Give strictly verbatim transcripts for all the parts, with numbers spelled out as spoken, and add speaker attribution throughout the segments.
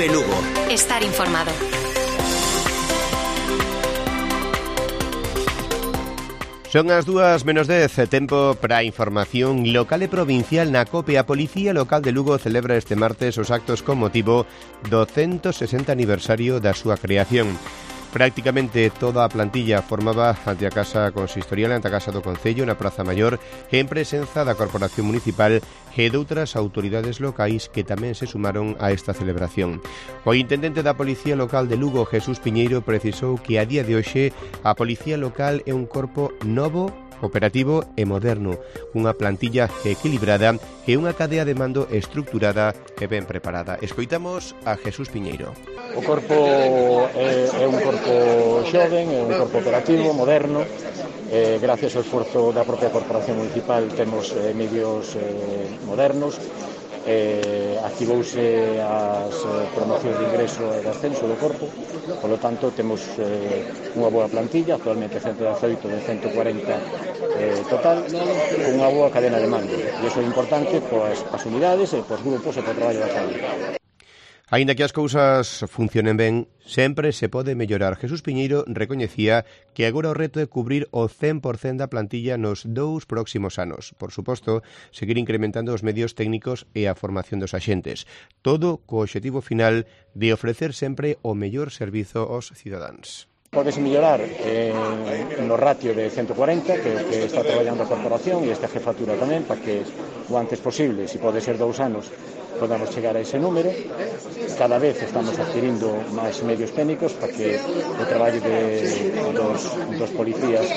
Speaker 1: Cope Lugo.
Speaker 2: Estar informado.
Speaker 3: Son as dúas menos dez, tempo para a información local e provincial na COPE. A Policía Local de Lugo celebra este martes os actos con motivo do ciento sesenta aniversario da súa creación. Prácticamente toda a plantilla formaba ante a Casa Consistorial, ante a Casa do Concello, na Praza Maior, en presenza da Corporación Municipal e doutras autoridades locais que tamén se sumaron a esta celebración. O intendente da Policía Local de Lugo, Jesús Piñeiro, precisou que a día de hoxe a Policía Local é un corpo novo, operativo e moderno, unha plantilla equilibrada e unha cadea de mando estructurada e ben preparada. Escoitamos a Jesús Piñeiro.
Speaker 4: O corpo é, é un corpo xoven, é un corpo operativo, moderno. Eh, gracias ao esforzo da propia Corporación Municipal temos eh, medios eh, modernos. Eh, activouse as eh, promocións de ingreso e de ascenso do corpo, polo tanto temos eh, unha boa plantilla, actualmente ciento dezaoito de ciento cuarenta eh, total, con unha boa cadena de mando, e iso é importante pois, as unidades e pois, grupos e po traballo da calle.
Speaker 3: Aínda que as cousas funcionen ben, sempre se pode mellorar. Jesús Piñeiro recoñecía que agora o reto é cubrir o cen por cento da plantilla nos dous próximos anos. Por suposto, seguir incrementando os medios técnicos e a formación dos axentes. Todo co obxectivo final de ofrecer sempre o mellor servizo aos cidadáns.
Speaker 4: Podes mellorar eh, no ratio de ciento cuarenta que, que está traballando a corporación e esta jefatura tamén para que o antes posible, se pode ser dous anos, podamos chegar a ese número. Cada vez estamos adquirindo máis medios técnicos para que o traballo de, dos, dos policías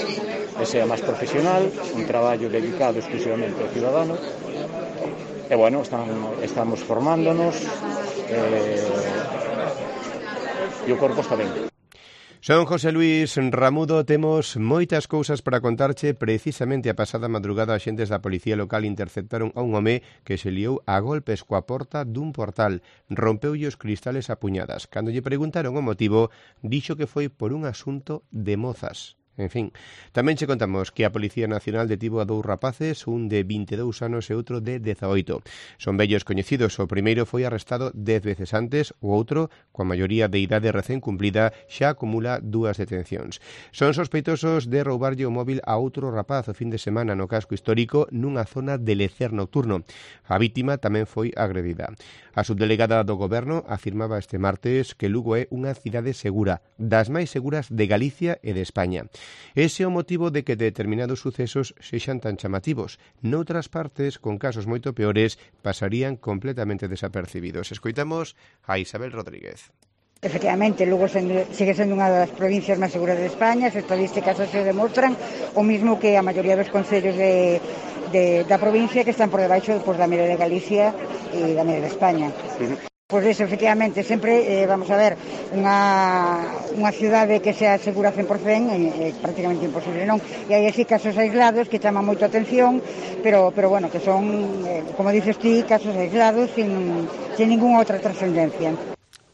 Speaker 4: sea máis profesional, un traballo dedicado exclusivamente ao cidadano. E bueno, estamos, estamos formándonos eh, e o corpo está ben.
Speaker 3: Son José Luis Ramudo, temos moitas cousas para contarche. Precisamente a pasada madrugada, axentes da Policía Local interceptaron a un home que se liou a golpes coa porta dun portal. Rompeulle os cristales a puñadas. Cando lle preguntaron o motivo, dixo que foi por un asunto de mozas. En fin, tamén che contamos que a Policía Nacional detivo a dous rapaces, un de vinte e dous anos e outro de dezaoito. Son vellos coñecidos, o primeiro foi arrestado dez veces antes, o outro, coa maioría de idade recén cumplida, xa acumula dúas detencións. Son sospeitosos de roubarlle o móvil a outro rapaz o fin de semana no casco histórico nunha zona de lecer nocturno. A vítima tamén foi agredida. A subdelegada do Goberno afirmaba este martes que Lugo é unha cidade segura, das máis seguras de Galicia e de España. Ese é o motivo de que determinados sucesos sexan tan chamativos. Noutras partes, con casos moito peores, pasarían completamente desapercibidos. Escoitamos a Isabel Rodríguez.
Speaker 5: Efectivamente, Lugo sendo, sigue sendo unha das provincias máis seguras de España, as estadísticas así o demostran, o mismo que a maioría dos concellos de, de, da provincia que están por debaixo pues, da media de Galicia e da media de España. Uh-huh. Pois eso, efectivamente, sempre, eh, vamos a ver, unha, unha cidade que sea segura cen por cento é, é prácticamente imposible, non? E hai así casos aislados que chaman moito a atención, pero, pero bueno, que son, eh, como dices ti, casos aislados sin, sin ninguna outra trascendencia.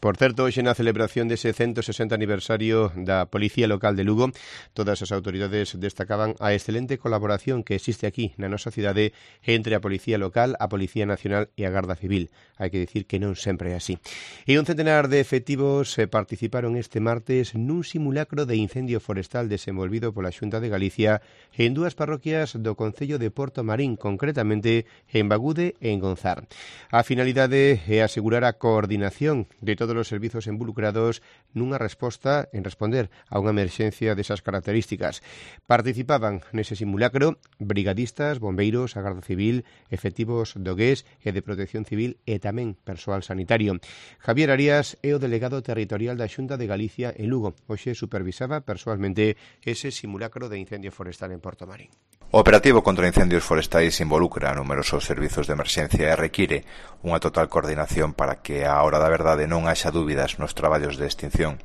Speaker 3: Por certo, hoxe na celebración dese ciento sesenta aniversario da Policía Local de Lugo, todas as autoridades destacaban a excelente colaboración que existe aquí na nosa cidade entre a Policía Local, a Policía Nacional e a Garda Civil. Hai que dicir que non sempre é así. E un centenar de efectivos participaron este martes nun simulacro de incendio forestal desenvolvido pola Xunta de Galicia en dúas parroquias do concello de Porto Marín, concretamente en Bagude e en Gonzar. A finalidade é asegurar a coordinación de todo todos os servizos involucrados nunha resposta en responder a unha emerxencia desas características. Participaban nese simulacro brigadistas, bombeiros, a Garda Civil, efectivos do G E S e de Protección Civil e tamén persoal sanitario. Javier Arias é o delegado territorial da Xunta de Galicia en Lugo. Hoxe supervisaba persoalmente ese simulacro de incendio forestal en Porto Marín.
Speaker 6: O operativo contra incendios forestais involucra numerosos servizos de emerxencia e require unha total coordinación para que á hora da verdade non haxa dúbidas nos traballos de extinción.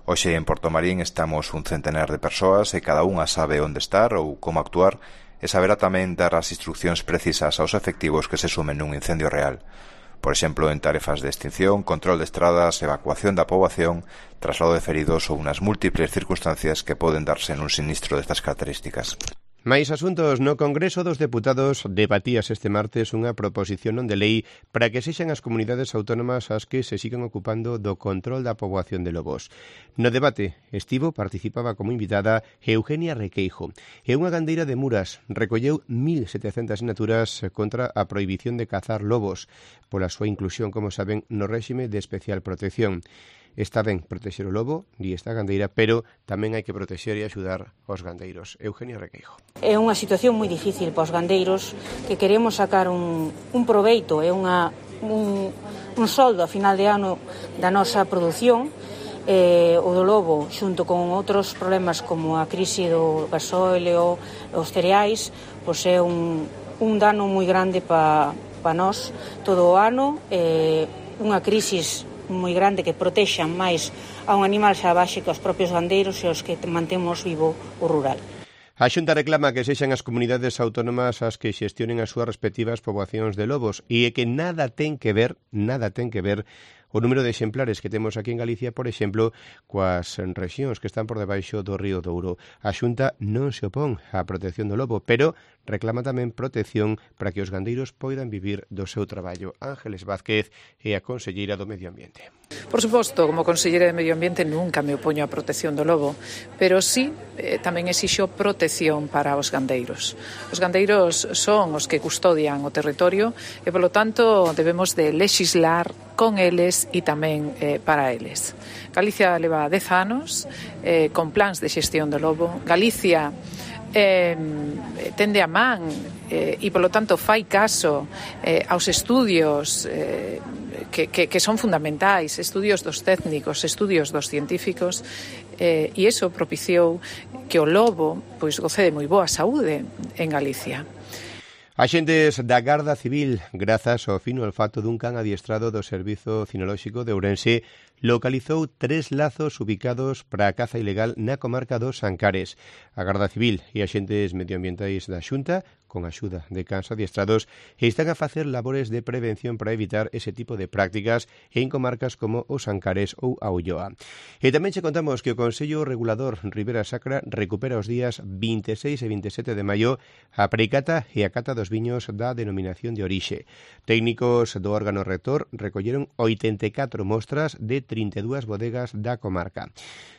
Speaker 6: Hoxe en Porto Marín estamos un centenar de persoas e cada unha sabe onde estar ou como actuar e saberá tamén dar as instruccións precisas aos efectivos que se sumen nun incendio real. Por exemplo, en tarefas de extinción, control de estradas, evacuación da poboación, traslado de feridos ou unas múltiples circunstancias que poden darse nun sinistro destas características.
Speaker 3: Máis asuntos. No Congreso dos Deputados debatíase este martes unha proposición non de lei para que sexan as comunidades autónomas as que se sigan ocupando do control da poboación de lobos. No debate estivo participaba como invitada Eugenia Requeijo, e unha gandeira de Muras recolleu mil setecentas sinaturas contra a prohibición de cazar lobos pola súa inclusión, como saben, no réxime de especial protección. Está ben protexer o lobo, di esta gandeira, pero tamén hai que protexer e axudar aos gandeiros. Eugenia Requeijo.
Speaker 1: É unha situación moi difícil para os gandeiros que queremos sacar un, un proveito, é unha, un, un soldo a final de ano da nosa produción. Eh, o do lobo, xunto con outros problemas como a crise do gasóleo, os cereais, pois é un, un dano moi grande para pa nós todo o ano, eh, unha crise moi grande que protexan máis a un animal salvaxe que os propios gandeiros e os que mantemos vivo o rural.
Speaker 3: A Xunta reclama que sexan as comunidades autónomas as que xestionen as súas respectivas poboacións de lobos e que nada ten que ver, nada ten que ver o número de exemplares que temos aquí en Galicia, por exemplo, coas rexións que están por debaixo do río Douro. A Xunta non se opón á protección do lobo, pero reclama tamén protección para que os gandeiros poidan vivir do seu traballo. Ángeles Vázquez é a conselleira do Medio Ambiente.
Speaker 2: Por suposto, como conselleira de Medio Ambiente nunca me opoño á protección do lobo, pero sí eh, tamén exixo protección para os gandeiros. Os gandeiros son os que custodian o territorio e, polo tanto, debemos de lexislar con eles e tamén eh, para eles. Galicia leva dez anos eh, con plans de xestión do lobo. Galicia eh, tende a man eh, e, polo tanto, fai caso eh, aos estudios eh, que, que, que son fundamentais, estudios dos técnicos, estudios dos científicos, eh, e iso propiciou que o lobo pois goce de moi boa saúde en Galicia.
Speaker 3: Axentes da Garda Civil, grazas ao fino olfato dun can adiestrado do Servizo Cinolóxico de Ourense, localizou tres lazos ubicados para a caza ilegal na comarca dos Ancares. A Garda Civil e axentes medioambientais da Xunta, con axuda de cans adiestrados, están a facer labores de prevención para evitar ese tipo de prácticas en comarcas como os Ancares ou a Ulloa. E tamén che contamos que o Consello Regulador Ribera Sacra recupera os días vinte e seis e vinte e sete de maio a precata e a cata dos viños da denominación de orixe. Técnicos do órgano rector recolleron oitenta e catro mostras de trinta e dúas bodegas da comarca.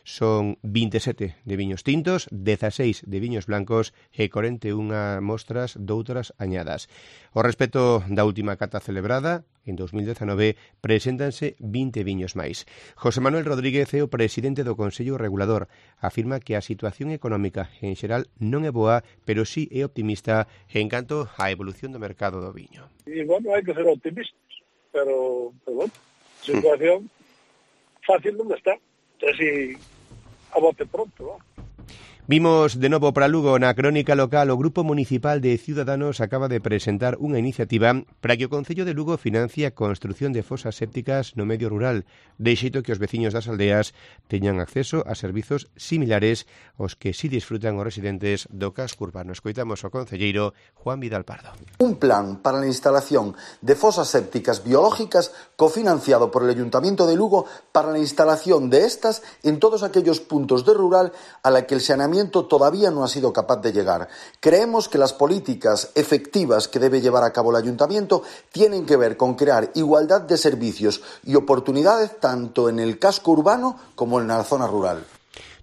Speaker 3: Son vinte e sete de viños tintos, dezaseis de viños blancos e corenta e unha mostras doutras añadas. Ao respecto da última cata celebrada, en dos mil dezanove, preséntanse vinte viños máis. José Manuel Rodríguez é o presidente do Consello Regulador. Afirma que a situación económica en xeral non é boa, pero sí é optimista en canto á evolución do mercado do viño.
Speaker 7: E, bueno, hai que ser optimistas, pero, pero bueno, a situación fácil non está. Así, a bote pronto, ¿no?
Speaker 3: Vimos de novo para Lugo na crónica local. O Grupo Municipal de Ciudadanos acaba de presentar unha iniciativa para que o Concello de Lugo financie a construción de fosas sépticas no medio rural, de xeito que os veciños das aldeas teñan acceso a servizos similares aos que si disfrutan os residentes do casco urbano. Escoitamos ao concelleiro Juan Vidal Pardo.
Speaker 8: Un plan para la instalación de fosas sépticas biológicas cofinanciado por el Ayuntamiento de Lugo para la instalación de estas en todos aquellos puntos de rural a la que el saneamiento todavía no ha sido capaz de llegar. Creemos que las políticas efectivas que debe llevar a cabo el Ayuntamiento tienen que ver con crear igualdad de servicios y oportunidades tanto en el casco urbano como en la zona rural.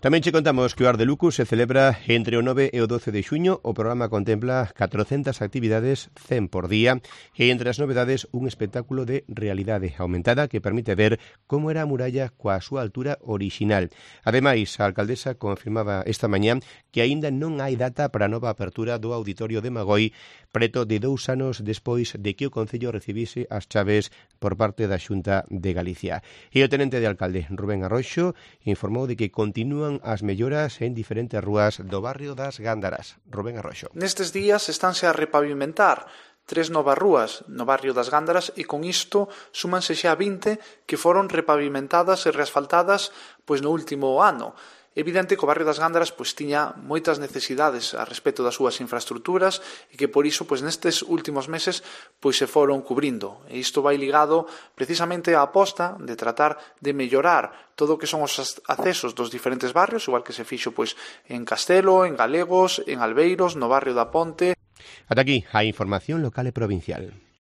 Speaker 3: Tamén che contamos que o Ar de Luco se celebra entre o nove e o doce de xuño. O programa contempla catrocentas actividades, cen por día, e entre as novedades un espectáculo de realidade aumentada que permite ver como era a muralla coa súa altura orixinal. Ademais, a alcaldesa confirmaba esta mañá que aínda non hai data para a nova apertura do Auditorio de Magoi, preto de dous anos despois de que o Concello recibise as chaves por parte da Xunta de Galicia. E o tenente de alcalde, Rubén Arroxo, informou de que continúan as melloras en diferentes rúas do barrio das Gándaras. Rubén Arroxo.
Speaker 9: Nestes días estánse a repavimentar tres novas rúas no barrio das Gándaras e con isto súmanse xa vinte que foron repavimentadas e reasfaltadas pois no último ano. evidente que o barrio das Gándaras pois tiña moitas necesidades a respecto das súas infraestructuras e que por iso pois nestes últimos meses pois se foron cubrindo. E isto vai ligado precisamente á aposta de tratar de mellorar todo o que son os accesos dos diferentes barrios, igual que se fixo pois en Castelo, en Galegos, en Albeiros, no barrio da Ponte.
Speaker 3: Ata aquí a información local e provincial.